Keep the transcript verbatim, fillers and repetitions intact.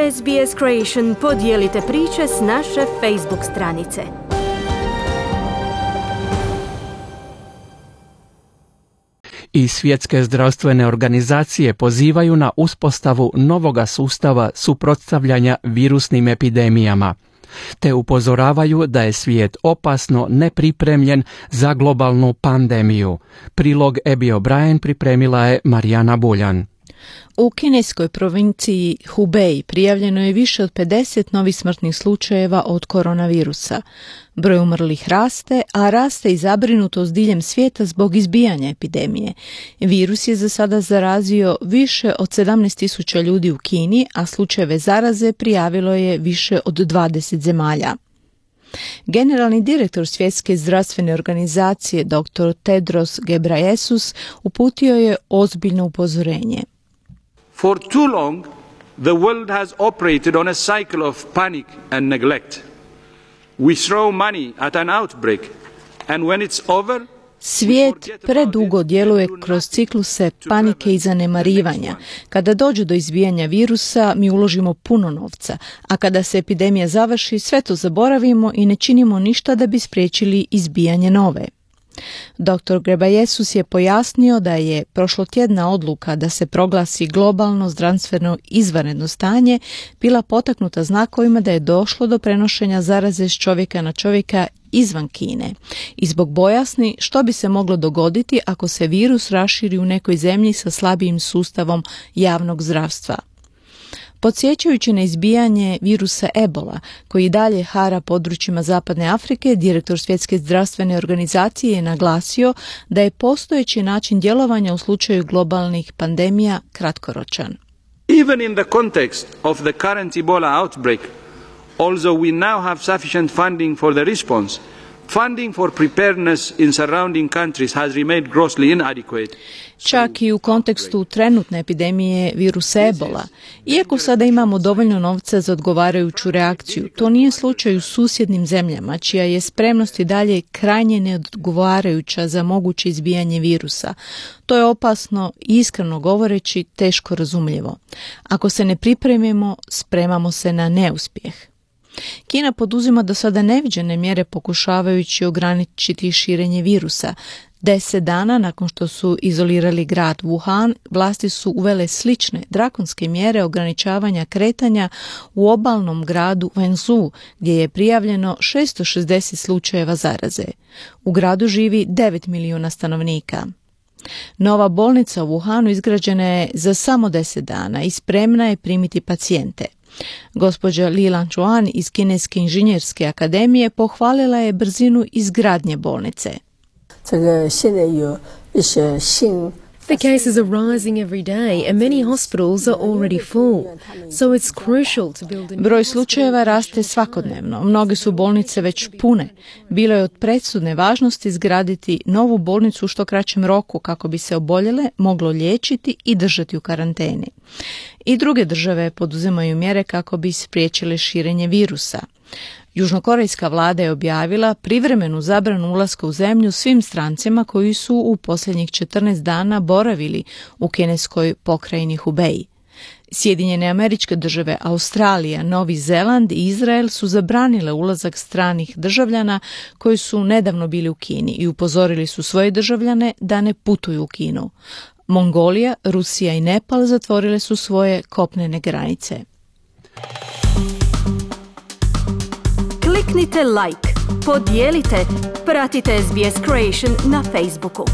S B S Creation podijelite priče s naše Facebook stranice. I svjetske zdravstvene organizacije pozivaju na uspostavu novoga sustava suprotstavljanja virusnim epidemijama, te upozoravaju da je svijet opasno nepripremljen za globalnu pandemiju. Prilog Abby O'Brien pripremila je Marijana Buljan. U kineskoj provinciji Hubei prijavljeno je više od pedeset novih smrtnih slučajeva od koronavirusa. Broj umrlih raste, a raste i zabrinutost diljem svijeta zbog izbijanja epidemije. Virus je za sada zarazio više od sedamnaest tisuća ljudi u Kini, a slučajeve zaraze prijavilo je više od dvadeset zemalja. Generalni direktor Svjetske zdravstvene organizacije dr. Tedros Ghebreyesus uputio je ozbiljno upozorenje. For too long, the world has operated on a cycle of panic and neglect. We throw money at an outbreak, and when it's over, Svijet predugo djeluje kroz cikluse panike i zanemarivanja. Kada dođe do izbijanja virusa, mi uložimo puno novca, a kada se epidemija završi, sve to zaboravimo i ne činimo ništa da bi spriječili izbijanje nove. doktor Ghebreyesus je pojasnio da je prošlotjedna odluka da se proglasi globalno zdravstveno izvanredno stanje bila potaknuta znakovima da je došlo do prenošenja zaraze s čovjeka na čovjeka izvan Kine i zbog bojasni što bi se moglo dogoditi ako se virus raširi u nekoj zemlji sa slabijim sustavom javnog zdravstva. Podsjećajući na izbijanje virusa Ebola, koji dalje hara područjima Zapadne Afrike, direktor Svjetske zdravstvene organizacije je naglasio da je postojeći način djelovanja u slučaju globalnih pandemija kratkoročan. Even in the context of the current Ebola outbreak, although we now have sufficient funding for the response, funding for preparedness in surrounding countries has remained grossly inadequate. Čak i u kontekstu trenutne epidemije virusa Ebola, iako sada imamo dovoljno novca za odgovarajuću reakciju, to nije slučaj u susjednim zemljama, čija je spremnost i dalje krajnje neodgovarajuća za moguće izbijanje virusa. To je opasno i iskreno govoreći teško razumljivo. Ako se ne pripremimo, spremamo se na neuspjeh. Kina poduzima do sada neviđene mjere pokušavajući ograničiti širenje virusa. Deset dana nakon što su izolirali grad Wuhan, vlasti su uvele slične drakonske mjere ograničavanja kretanja u obalnom gradu Wenzhou, gdje je prijavljeno šesto šezdeset slučajeva zaraze. U gradu živi devet milijuna stanovnika. Nova bolnica u Wuhanu izgrađena je za samo deset dana i spremna je primiti pacijente. Gospođa Li Lanchuan iz Kineske inženjerske akademije pohvalila je brzinu izgradnje bolnice. The cases are rising every day and many hospitals are already full, so it's crucial to build... Broj slučajeva raste svakodnevno. Mnoge su bolnice već pune. Bilo je od presudne važnosti izgraditi novu bolnicu u što kraćem roku kako bi se oboljele moglo liječiti i držati u karanteni. I druge države poduzimaju mjere kako bi spriječile širenje virusa. Južnokorejska vlada je objavila privremenu zabranu ulaska u zemlju svim strancima koji su u posljednjih četrnaest dana boravili u kineskoj pokrajini Hubei. Sjedinjene Američke Države, Australija, Novi Zeland i Izrael su zabranile ulazak stranih državljana koji su nedavno bili u Kini i upozorili su svoje državljane da ne putuju u Kinu. Mongolija, Rusija i Nepal zatvorile su svoje kopnene granice. Kliknite like, podijelite, pratite S B S Creation na Facebooku.